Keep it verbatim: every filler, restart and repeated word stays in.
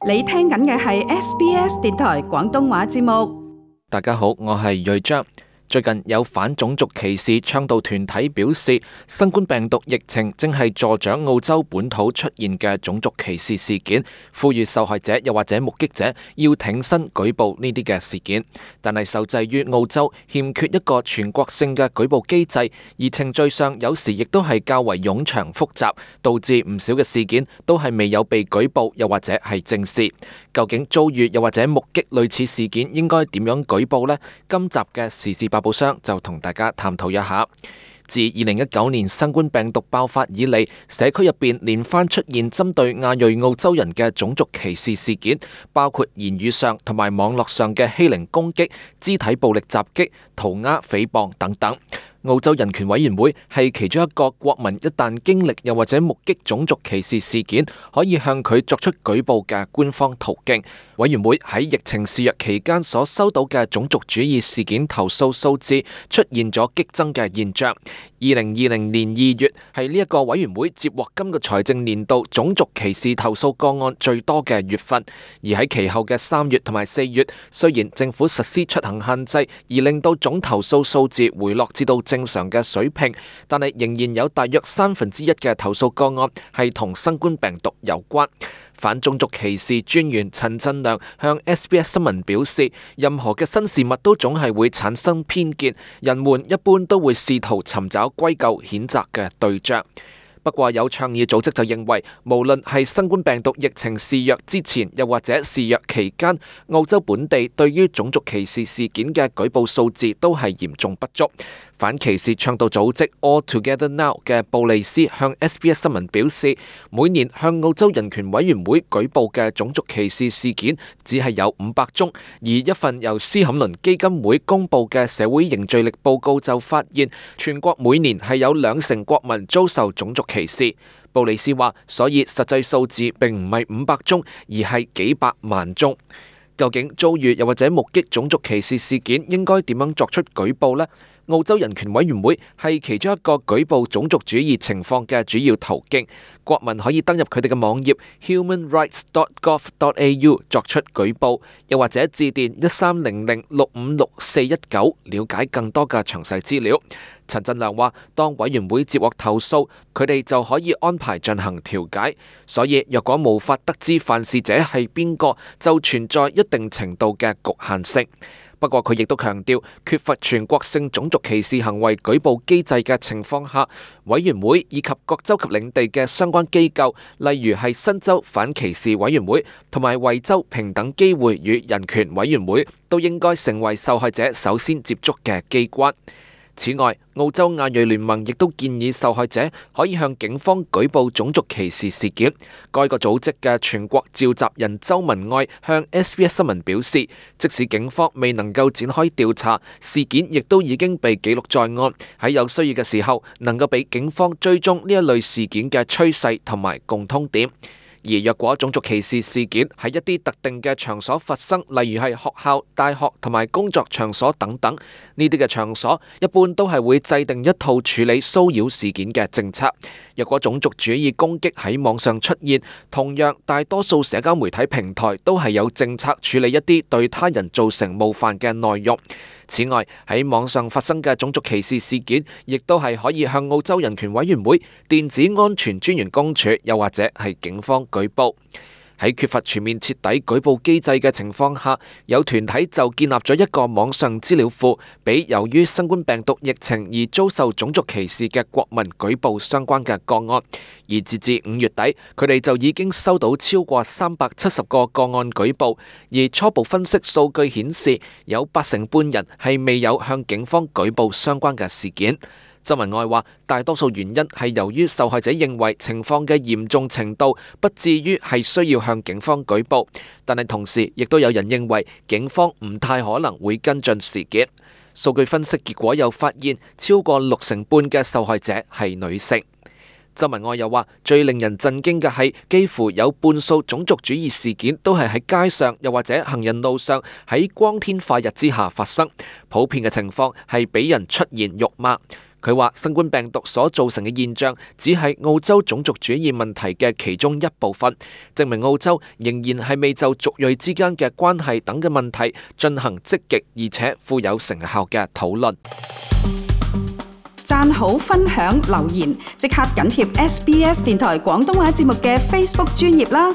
你聽緊嘅係 S B S 電台廣東話節目。大家好，我係瑞章。最近有反種族歧視倡導團體表示，新冠病毒疫情正係助長澳洲本土出現嘅種族歧視事件，呼籲受害者又或者目擊者要挺身舉報呢啲嘅事件。但係受制於澳洲欠缺一個全國性嘅舉報機制，而程序上有時亦都係較為冗長複雜，導致唔少嘅事件都係未有被舉報又或者係正視。究竟遭遇又或者目擊類似事件應該點樣舉報呢？今集嘅時事百寶箱就同大家探討一下。自二零一九年新冠病毒爆發以嚟，社區入邊連番出現針對亞裔澳洲人嘅種族歧視事件，包括言語上同埋網絡上嘅欺凌攻擊、肢體暴力襲擊、塗鴉誹謗等等。澳洲人權委員會係其中一個國民一旦經歷又或者目擊種族歧視事件，可以向佢作出舉報嘅官方途徑。委員會喺疫情肆虐期間所收到嘅種族主義事件投訴數字出現咗激增嘅現象。二零二零年二月係呢一個委員會接獲今個財政年度種族歧視投訴個案最多嘅月份。而喺其後嘅三月同埋四月，雖然政府實施出行限制，而令到總投訴數字回落至到正常嘅水平，但係仍然有大約三分之一嘅投訴個案係同新冠病毒有關。反種族歧視專員陳振良向 S B S 新聞表示，任何嘅新事物都總係會產生偏見，人們一般都會試圖尋找歸咎譴責嘅對象。不過有倡議組織就認為，無論係新冠病毒疫情肆虐之前，又或者肆虐期間，澳洲本地對於種族歧視事件嘅舉報數字都係嚴重不足。反歧視倡導組織 All Together Now 嘅布利斯向 S B S 新聞表示，每年向澳洲人權委員會舉報嘅種族歧視事件只係有五百宗，而一份由斯坎倫基金會公佈嘅社會凝聚力報告就發現，全國每年係有兩成國民遭受種族歧視。布利斯話，所以實際數字並唔係五百宗，而係幾百萬宗。究竟遭遇又或者目擊種族歧視事件應該點樣作出舉報呢？澳洲人權委員會係其中一個舉報種族主義情況嘅主要途徑，國民可以登入佢哋嘅網頁 human rights dot gov dot a u 作出舉報，又或者致電一三零零六五六四一九了解更多嘅詳細資料。陳振良話，當委員會接獲投訴，佢哋就可以安排進行調解，所以若果無法得知犯事者係邊個，就存在一定程度嘅局限性。不過佢亦都強調，缺乏全國性種族歧視行為舉報機制嘅情況下，委員會以及各州及領地嘅相關機構，例如係新州反歧視委員會同埋維州平等機會與人權委員會，都應該成為受害者首先接觸嘅機關。此外，澳洲亞裔聯盟亦都建議受害者可以向警方舉報種族歧視事件。該個組織嘅全國召集人周文愛向 S B S 新聞表示，即使警方未能夠展開調查，事件亦都已經被記錄在案，喺有需要嘅時候能夠俾警方追蹤呢一類事件嘅趨勢同埋共通點。而若果種族歧視事件喺一啲特定嘅場所發生，例如係學校、大學同埋工作場所等等，呢啲嘅場所一般都係會制定一套處理騷擾事件嘅政策。若果種族主義攻擊喺網上出現，同樣大多數社交媒體平台都係有政策處理一啲對他人造成冒犯嘅內容。此外，喺網上發生嘅種族歧視事件，亦都係可以向澳洲人權委員會、電子安全專員公署，又或者係警方舉報。喺缺乏全面徹底舉報機制嘅情況下，有團體就建立咗一個網上資料庫，俾由於新冠病毒疫情而遭受種族歧視嘅國民舉報相關嘅個案。而截至五月底，佢哋就已經收到超過三百七十個個案舉報，而初步分析數據顯示，有八成半人係未有向警方舉報相關嘅事件。周文愛話，大多數原因係由於受害者認為情況嘅嚴重程度不至於係需要向警方舉報，但係同時亦都有人認為警方唔太可能會跟進事件。數據分析結果又發現，超過六成半嘅受害者係女性。周文愛又話，最令人震驚嘅係，幾乎有半數種族主義事件都係喺街上又或者行人路上喺光天化日之下發生，普遍嘅情況係俾人出言辱罵。佢話新冠病毒所造成嘅現象只係澳洲種族主義問題嘅其中一部分，證明澳洲仍然係未就族裔之間嘅關係等嘅問題進行積極而且富有成效嘅討論。讚好、分享、留言，即刻緊貼 S B S 電台廣東話節目嘅 Facebook 專頁啦！